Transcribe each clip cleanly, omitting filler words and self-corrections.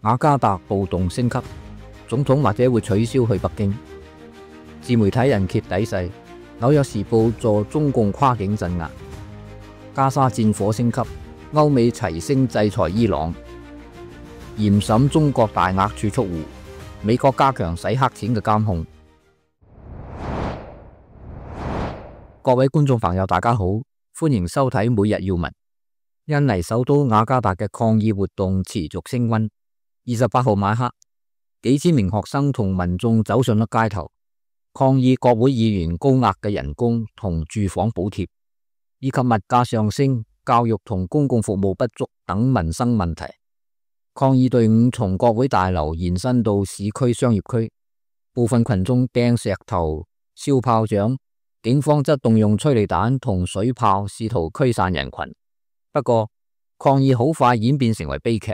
雅加達暴動升級，總統或者會取消去北京。自媒體人揭底細，紐約時報助中共跨境鎮壓。加沙戰火升級，歐美齊聲制裁伊朗。嚴審中國大額儲蓄戶，美國加強洗黑錢嘅監控。各位觀眾朋友大家好，歡迎收睇每日要聞。印尼首都雅加達嘅抗議活動持續升溫。28號晚黑，幾千名學生同民眾走上咗街頭，抗議國會議員高額嘅人工同住房補貼，以及物價上升、教育同公共服務不足等民生問題。抗議隊伍從國會大樓延伸到市區商業區，部分群眾掟石頭、燒炮仗，警方則動用催淚彈同水炮試圖驅散人群。不過，抗議好快演變成為悲劇。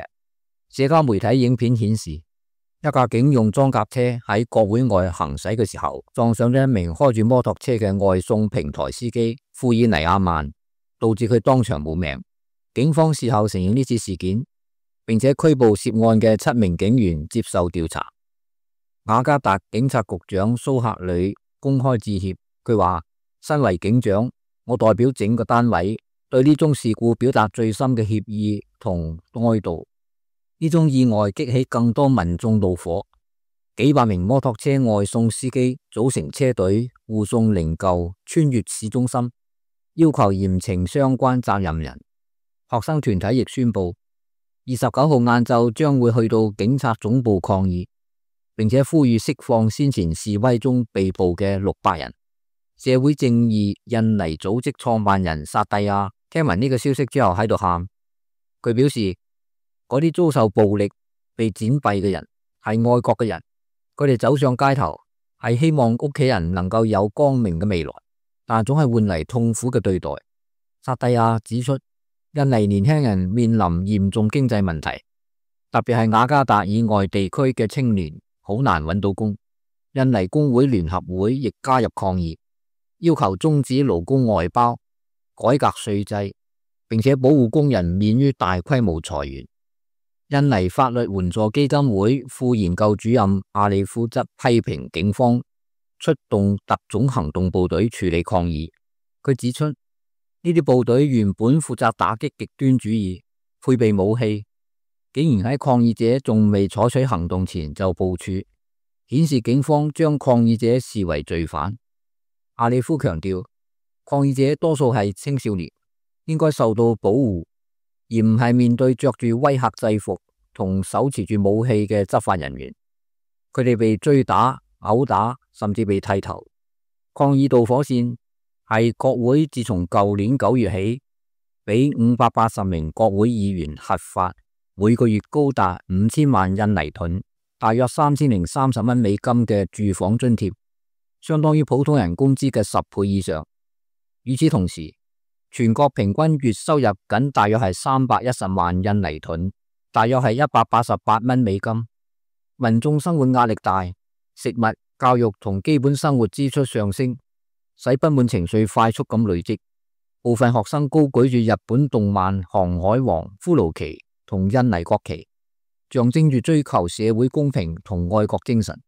社交媒體影片顯示，一架警用裝甲車喺國會外行駛嘅時候，撞上咗一名開住摩托車嘅外送平台司機庫爾尼亞曼，導致佢當場冇命。警方事後承認呢次事件，並且拘捕涉案嘅7名警員接受調查。雅加達警察局長蘇克里公開致歉，佢話：身為警長，我代表整個單位對呢宗事故表達最深嘅歉意同哀悼。呢宗意外激起更多民眾怒火，幾百名摩托車外送司機組成車隊護送靈柩穿越市中心，要求嚴懲相關責任人。學生團體亦宣布，29號晏晝將會去到警察總部抗議，並且呼籲釋放先前示威中被捕嘅600人。社會正義印尼組織創辦人薩蒂亞聽聞呢個消息之後喺度喊，佢表示，嗰啲遭受暴力、被剪斃嘅人係愛國嘅人，佢哋走上街頭係希望屋企人能夠有光明嘅未來，但總係換嚟痛苦嘅對待。薩蒂亞指出，印尼年輕人面臨嚴重經濟問題，特別係雅加達以外地區嘅青年好難揾到工。印尼工會聯合會亦加入抗議，要求終止勞工外包、改革稅制，並且保護工人免於大規模裁員。印尼法律援助基金會副研究主任阿里夫則批評警方出動特種行動部隊處理抗議。佢指出，呢啲部隊原本負責打擊極端主義，配備武器，竟然喺抗議者仲未採取行動前就部署，顯示警方將抗議者視為罪犯。阿里夫強調，抗議者多數係青少年，應該受到保護，而唔係面對着住威嚇制服同手持住武器嘅執法人員。佢哋被追打、毆打，甚至被剃頭。抗議導火線係國會自從舊年9月起，俾580名國會議員核發每個月高達5000萬印尼盾，大約3030蚊美金嘅住房津貼，相當於普通人工資嘅10倍以上。與此同時，全國平均月收入僅大約係310萬印尼盾，大約係188蚊美金。民眾生活壓力大，食物、教育同基本生活支出上升，使不滿情緒快速咁累積。部分學生高舉住日本動漫《航海王》骷髏旗同印尼國旗，象徵住追求社會公平同愛國精神。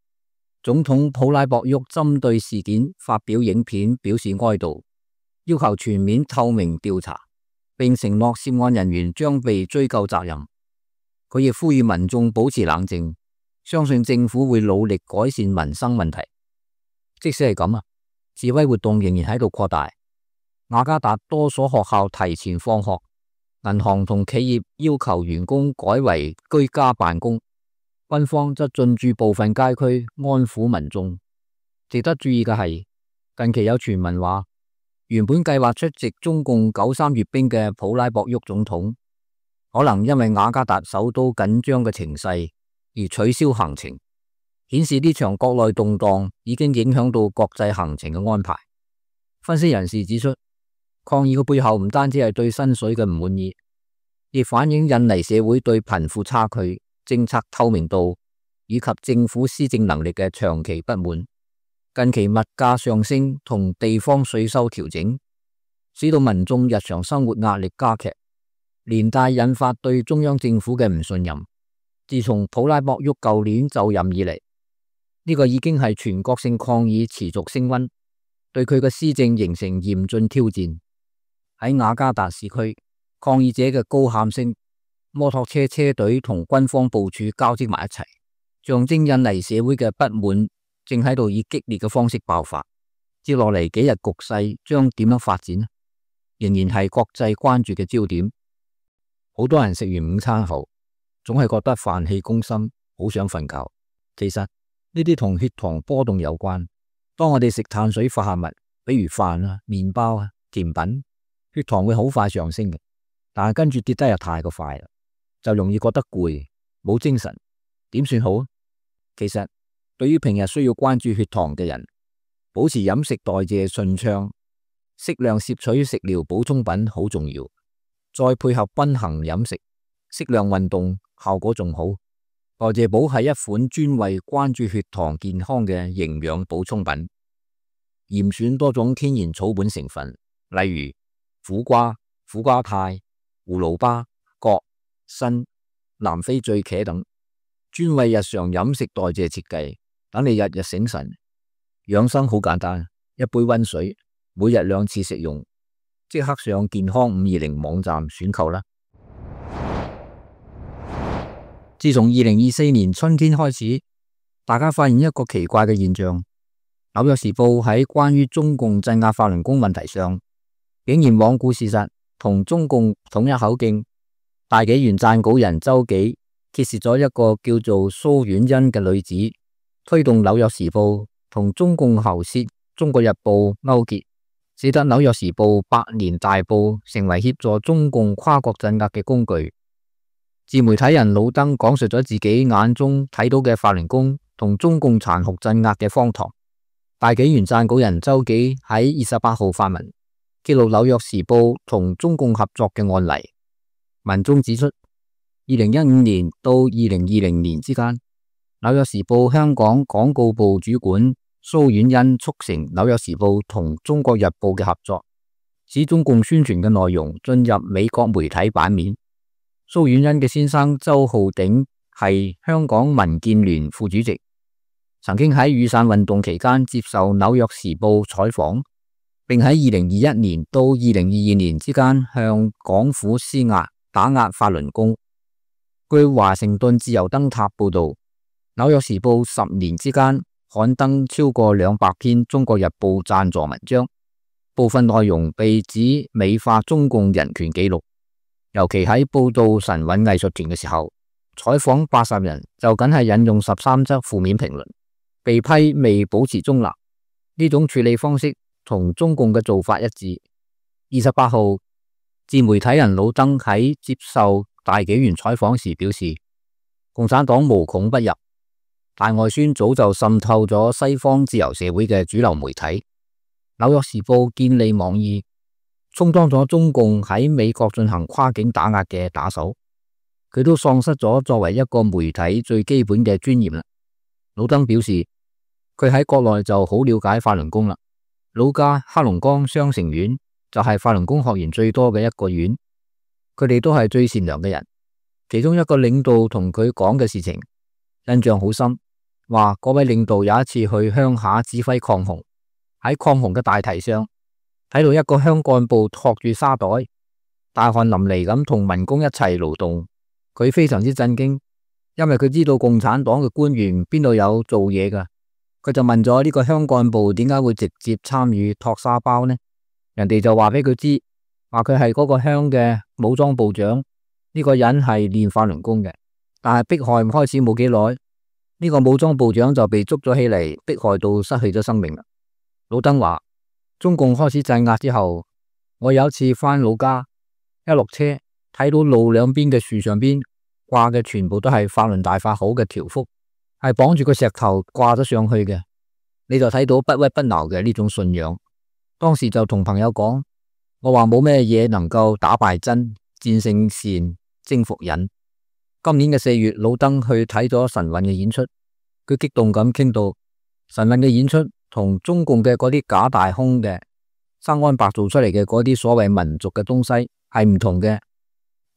總統普拉博沃針對事件發表影片表示哀悼，要求全面透明調查，並承諾涉案人員將被追究責任。佢亦呼籲民眾保持冷靜，相信政府會努力改善民生問題。即使係咁示威活動仍然喺度擴大。雅加達多所學校提前放學，銀行同企業要求員工改為居家辦公，軍方則進駐部分街區安撫民眾。值得注意嘅係，近期有傳聞話，原本計劃出席中共93閱兵嘅普拉博沃總統，可能因為雅加達首都緊張嘅情勢而取消行程，顯示呢場國內動盪已經影響到國際行程嘅安排。分析人士指出，抗議嘅背後唔單止係對薪水嘅唔滿意，亦反映印尼社會對貧富差距、政策透明度以及政府施政能力嘅長期不滿。近期物價上升同地方稅收調整，使到民眾日常生活壓力加劇，連帶引發對中央政府嘅唔信任。自從普拉博沃舊年就任以嚟，呢個已經係全國性抗議持續升溫，對佢嘅施政形成嚴峻挑戰。喺雅加達市區，抗議者嘅高喊聲、摩托車車隊同軍方部署交織埋一齊，象徵印尼社會嘅不滿正喺度以激烈嘅方式爆發。接落嚟幾日局勢將點樣發展呢？仍然係國際關注嘅焦點。好多人食完午餐後，總係覺得飯氣攻心，好想瞓覺。其實呢啲同血糖波動有關。當我哋食碳水化合物，比如飯啊、麵包啊、甜品，血糖會好快上升嘅，但係跟住跌得又太過快啦，就容易覺得攰、冇精神。點算好？其實對於平日需要關注血糖嘅人，保持飲食代謝順暢，適量攝取食療補充品好重要。再配合均衡飲食、適量運動，效果仲好。代謝寶係一款專為關注血糖健康嘅營養補充品，嚴選多種天然草本成分，例如苦瓜、苦瓜肽、葫蘆巴、葛、參、南非醉茄等，專為日常飲食代謝設計，等你日日醒神。養生好簡單，一杯溫水，每日2次食用。即刻上健康520網站選購啦！自從2024年春天開始，大家發現一個奇怪嘅現象：紐約時報喺關於中共鎮壓法輪功問題上，竟然罔顧事實，同中共統一口徑。大紀元撰稿人周紀揭示咗一個叫做蘇婉欣嘅女子，推動紐約時報同中共喉舌《中國日報》勾結，使得紐約時報百年大報成為協助中共跨國鎮壓嘅工具。自媒體人老登講述咗自己眼中睇到嘅法輪功同中共殘酷鎮壓嘅荒唐。大紀元撰稿人周紀喺28號發文，揭露紐約時報同中共合作嘅案例。文中指出，2015年到2020年之間，紐約時報香港廣告部主管蘇婉欣促成紐約時報同中國日報嘅合作，使中共宣傳嘅內容進入美國媒體版面。蘇婉欣嘅先生周浩鼎係香港民建聯副主席，曾經喺雨傘運動期間接受紐約時報採訪，並喺2021年到2022年之間向港府施壓打壓法輪功。據華盛頓自由燈塔報道，紐約時報10年之間刊登超過200篇中國日報贊助文章，部分內容被指美化中共人權紀錄。尤其喺報道神韻藝術團嘅時候，採訪80人就僅係引用13則負面評論，被批未保持中立。呢種處理方式同中共嘅做法一致。28號，自媒體人老登喺接受大紀元採訪時表示，共產黨無孔不入，大外宣早就滲透咗西方自由社會嘅主流媒體。紐約時報建立網易，充當咗中共喺美國進行跨境打壓嘅打手，佢都喪失咗作為一個媒體最基本嘅尊嚴啦。老登表示，佢喺國內就好了解法輪功啦，老家黑龍江雙城縣就係法輪功學員最多嘅一個縣，佢哋都係最善良嘅人。其中一個領導同佢講嘅事情印象好深，話嗰位領導有一次去鄉下指揮抗洪，喺抗洪嘅大堤上睇到一個鄉幹部托住沙袋，大汗淋漓咁同民工一齊勞動，佢非常之震驚，因為佢知道共產黨嘅官員邊度有做嘢噶，佢就問咗呢個鄉幹部點解會直接參與托沙包呢？人哋就話俾佢知，話佢係嗰個鄉嘅武裝部長，呢個人係練法輪功嘅，但係迫害開始冇幾耐，呢個武裝部長就被捉咗起嚟，迫害到失去咗生命啦。老登話，中共開始鎮壓之後，我有一次返老家，一落車睇到路兩邊嘅樹上邊掛嘅全部都係法輪大法好嘅條幅，係綁住個石頭掛咗上去嘅，你就睇到不屈不撓嘅呢種信仰。當時就同朋友講，我話冇咩嘢能夠打敗真，戰勝善，征服隱。今年嘅4月，老登去睇咗神韻嘅演出，佢激動咁傾到神韻嘅演出同中共嘅嗰啲假大空嘅生安白做出嚟嘅嗰啲所謂民族嘅東西係唔同嘅，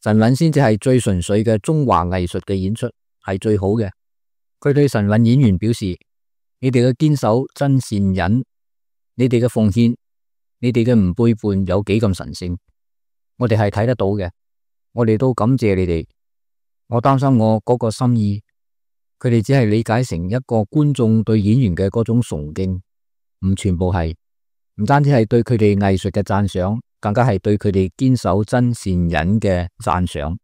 神韻先至係最純粹嘅中華藝術嘅演出，係最好嘅。佢對神韻演員表示：你哋嘅堅守真善忍，你哋嘅奉獻，你哋嘅唔背叛有幾咁神聖，我哋係睇得到嘅。我哋都感謝你哋。我擔心我嗰個心意，佢哋只係理解成一個觀眾對演員嘅嗰種崇敬，唔全部係，唔單止係對佢哋藝術嘅讚賞，更加係對佢哋堅守真善忍嘅讚賞，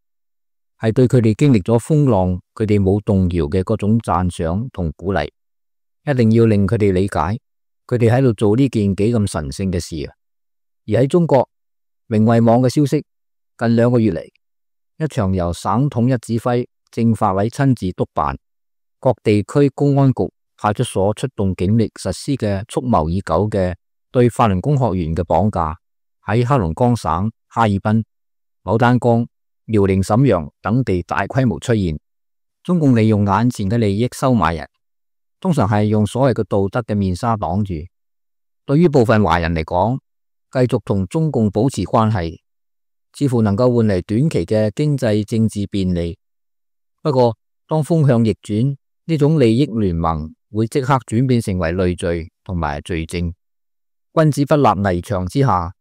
係對佢哋經歷咗風浪，佢哋冇動搖嘅嗰種讚賞同鼓勵。一定要令佢哋理解，佢哋喺度做呢件幾咁神聖嘅事啊！而喺中國，明慧網嘅消息，近2個月嚟，一場由省統一指揮、政法委親自督辦、各地區公安局派出所出動警力實施嘅蓄謀已久嘅對法輪功學員嘅綁架，喺黑龍江省哈爾濱、牡丹江、遼寧瀋陽等地大規模出現。中共利用眼前嘅利益收買人，通常係用所謂嘅道德嘅面紗擋住。對於部分華人嚟講，繼續同中共保持關係，似乎能夠換嚟短期嘅經濟政治便利。不過，當風向逆轉，呢種利益聯盟會即刻轉變成為累贅同埋罪證。君子不立危牆之下，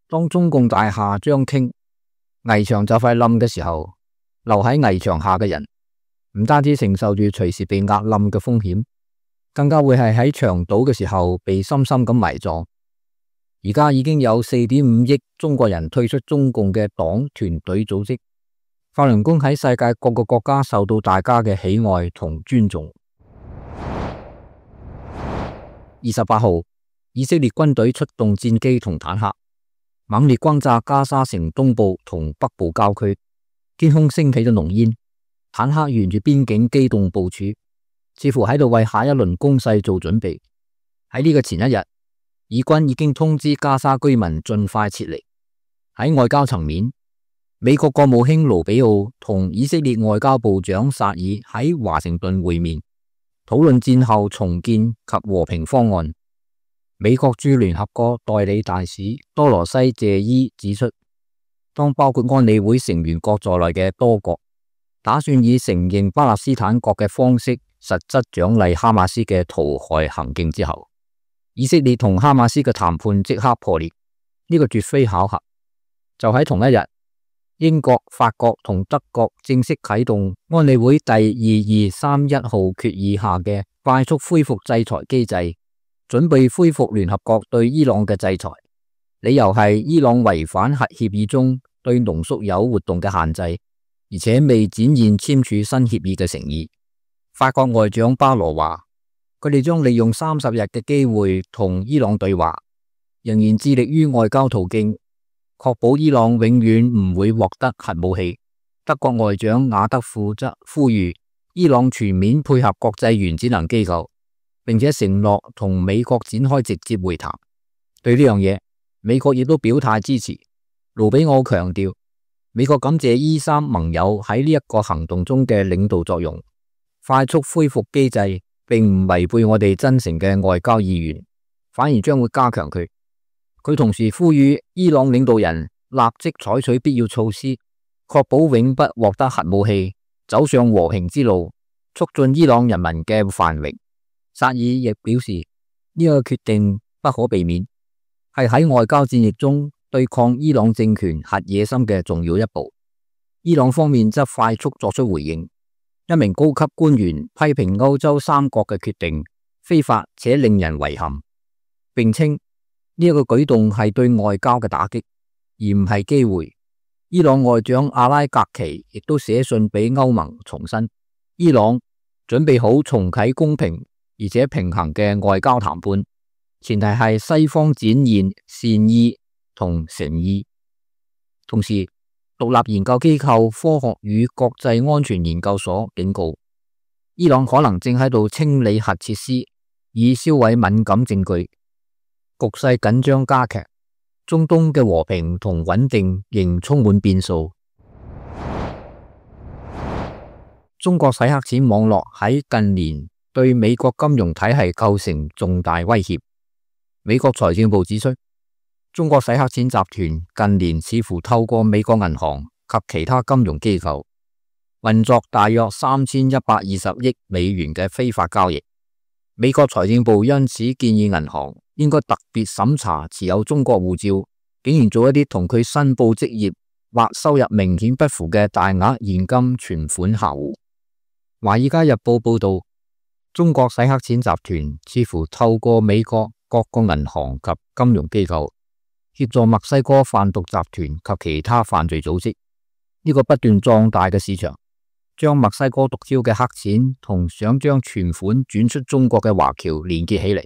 當中共大廈將傾，危牆就快冧嘅時候，留喺危牆下嘅人，唔單止承受住隨時被壓冧嘅風險，更加會係喺牆倒嘅時候被深深咁埋葬。而家已經有4.5億中國人退出中共嘅黨團隊組織，法輪功喺世界各個國家受到大家嘅喜愛同尊重。28號，以色列軍隊出動戰機同坦克，猛烈轟炸加沙城東部同北部郊區，天空升起咗濃煙，坦克沿住邊境機動部署，似乎喺度為下一輪攻勢做準備。喺呢個前一日，以軍已經通知加沙居民盡快撤離。喺外交層面，美國國務卿盧比奧同以色列外交部長薩爾喺華盛頓會面，討論戰後重建及和平方案。美國駐聯合國代理大使多羅西謝伊指出，當包括安理會成員國在內嘅多國打算以承認巴勒斯坦國嘅方式實質獎勵哈馬斯嘅屠害行徑之後，以色列同哈馬斯嘅談判即刻破裂。呢個絕非巧合。就喺同一日，英國、法國同德國正式啟動安理會第2231號決議下嘅快速恢復制裁機制，準備恢復聯合國對伊朗嘅制裁。理由係伊朗違反核協議中對濃縮鈾活動嘅限制，而且未展現簽署新協議嘅誠意。法國外長巴羅話，佢哋將利用30日嘅機會同伊朗對話，仍然致力於外交途徑，確保伊朗永遠唔會獲得核武器。德國外長雅德富則呼籲伊朗全面配合國際原子能機構，並且承諾同美國展開直接會談。對呢樣嘢，美國亦都表態支持。盧比奧強調，美國感謝E3盟友喺呢一個行動中嘅領導作用。快速恢復機制並唔違背我哋真誠嘅外交意願，反而將會加強佢。佢同時呼籲伊朗領導人立即採取必要措施，確保永不獲得核武器，走上和平之路，促進伊朗人民嘅繁榮。薩爾亦表示，呢個決定不可避免，係喺外交戰役中對抗伊朗政權核野心嘅重要一步。伊朗方面則快速作出回應。一名高級官員批評歐洲3國嘅決定非法且令人遺憾，並稱呢一個舉動係對外交嘅打擊，而唔係機會。伊朗外長阿拉格奇亦都寫信俾歐盟重申，伊朗準備好重啟公平而且平衡嘅外交談判，前提係西方展現善意同誠意。同時，獨立研究機構科學與國際安全研究所警告，伊朗可能正喺度清理核設施，以銷毀敏感證據。局勢緊張加劇，中東嘅和平同穩定仍充滿變數。中國洗黑錢網絡喺近年對美國金融體系構成重大威脅。美國財政部指出，中國洗黑錢集團近年似乎透過美國銀行及其他金融機構，運作大約3120億美元嘅非法交易。美國財政部因此建議銀行應該特別審查持有中國護照，竟然做一啲同佢申報職業或收入明顯不符嘅大額現金存款客戶。華爾街日報報道，中國洗黑錢集團似乎透過美國各個銀行及金融機構協助墨西哥販毒集團及其他犯罪組織。呢個不斷壯大嘅市場，將墨西哥毒梟嘅黑錢同想將存款轉出中國嘅華僑連結起嚟。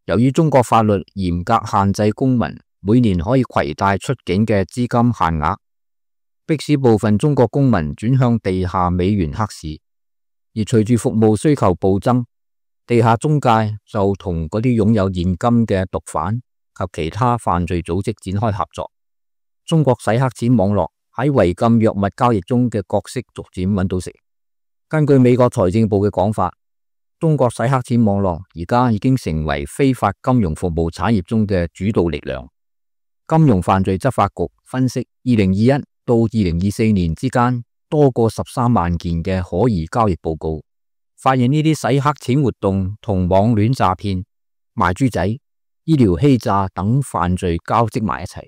由於中國法律嚴格限制公民每年可以攜帶出境嘅資金限額，迫使部分中國公民轉向地下美元黑市。而隨住服務需求暴增，地下中介就同嗰啲擁有現金嘅毒販及其他犯罪組織展開合作。中國洗黑錢網絡喺違禁藥物交易中嘅角色逐漸揾到食。根據美國財政部嘅講法，中國洗黑錢網絡而家已經成為非法金融服務產業中嘅主導力量。金融犯罪執法局分析，2021到2024年之間，多過13萬件嘅可疑交易報告，發現呢啲洗黑錢活動同網戀詐騙、賣豬仔、醫療欺詐等犯罪交織埋一齊。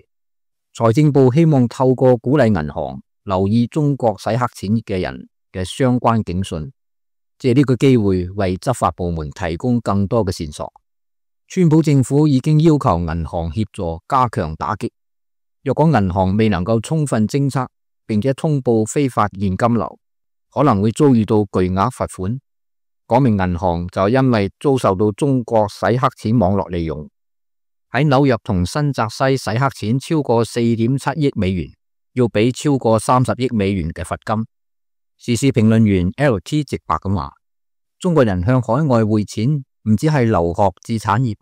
財政部希望透過鼓勵銀行留意中國洗黑錢嘅人嘅相關警訊，借呢個機會為執法部門提供更多嘅線索。川普政府已經要求銀行協助加強打擊，若果銀行未能夠充分偵測並且通報非法現金流，可能會遭遇到巨額罰款。嗰名銀行就因為遭受到中國洗黑錢網絡利用，喺紐約同新澤西洗黑錢超過4.7億美元，要俾超過30億美元嘅罰金。時事評論員 LT 直白咁話：中國人向海外匯錢唔止係留學至產業，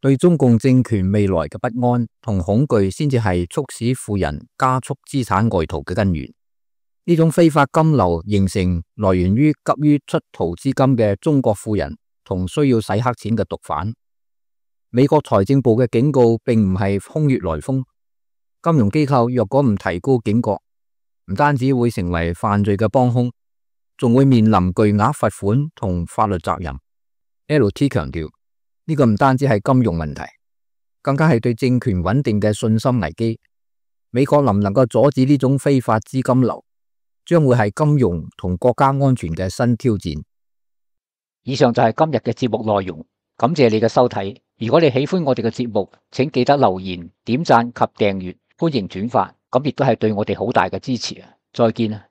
對中共政權未來嘅不安同恐懼先至係促使富人加速資產外逃嘅根源。呢種非法金流形成來源於急於出逃資金嘅中國富人同需要洗黑錢嘅毒販。美國財政部嘅警告並唔係空穴來風，金融機構若果唔提高警覺，唔單止會成為犯罪嘅幫兇，仲會面臨巨額罰款同法律責任。LT 強調，呢個唔單止係金融問題，更加係對政權穩定嘅信心危機。美國能唔能夠阻止呢種非法資金流，將會係金融同國家安全嘅新挑戰。以上就係今日嘅節目內容，感謝你嘅收睇。如果你喜歡我哋嘅節目，請記得留言、點讚及訂閱，歡迎轉發，咁亦都係對我哋好大嘅支持啊！再見啊！